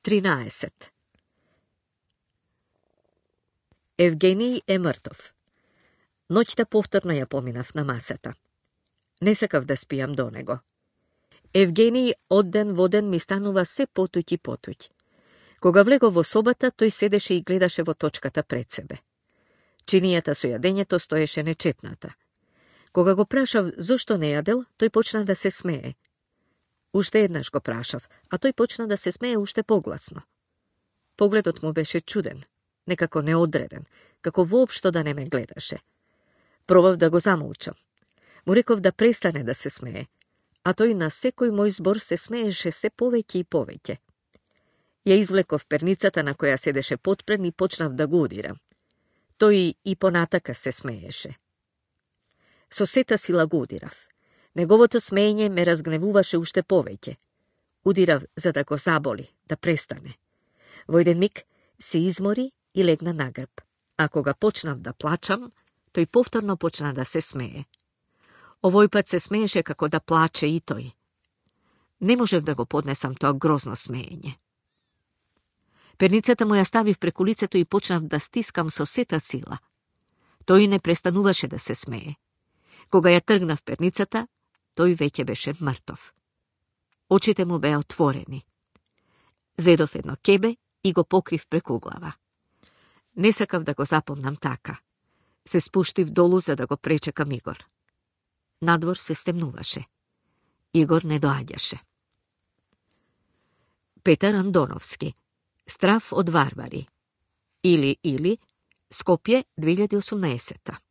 13. Евгений е мртов. Ноќта повторно ја поминав на масата. Не сакав да спијам до него. Евгений од ден во ден ми станува се потуќ и потуќ. Кога влегов во собата, тој седеше и гледаше во точката пред себе. Чинијата со јадењето стоеше нечепната. Кога го прашав зошто не јадел, тој почна да се смее. Уште еднаш го прашав, а тој почна да се смее уште погласно. Погледот му беше чуден, некако неодреден, како воопшто да не ме гледаше. Пробав да го замолчам. Му реков да престане да се смее, а тој на секој мој збор се смееше се повеќе и повеќе. Ја извлеков перницата на која седеше потпрен и почнав да го удирам. Тој и понатака се смееше. Со сета сила го удирав. Неговото смеење ме разгневуваше уште повеќе. Удирав за да го заболи, да престане. Во еден миг се измори и легна на грб. А кога почнав да плачам, тој повторно почна да се смее. Овој пат се смееше како да плаче и тој. Не можев да го поднесам тоа грозно смеење. Перницата му ја ставив преку лицето и почнав да стискам со сета сила. Тој не престануваше да се смее. Кога ја тргнав перницата, тој веќе беше мртов. Очите му беа отворени. Зедов едно кебе и го покрив преку глава. Не сакав да го запомнам така. Се спуштив долу за да го пречекам Игор. Надвор се стемнуваше. Игор не доаѓаше. Петар Андоновски. Страв од варвари. Или, Скопје 2018.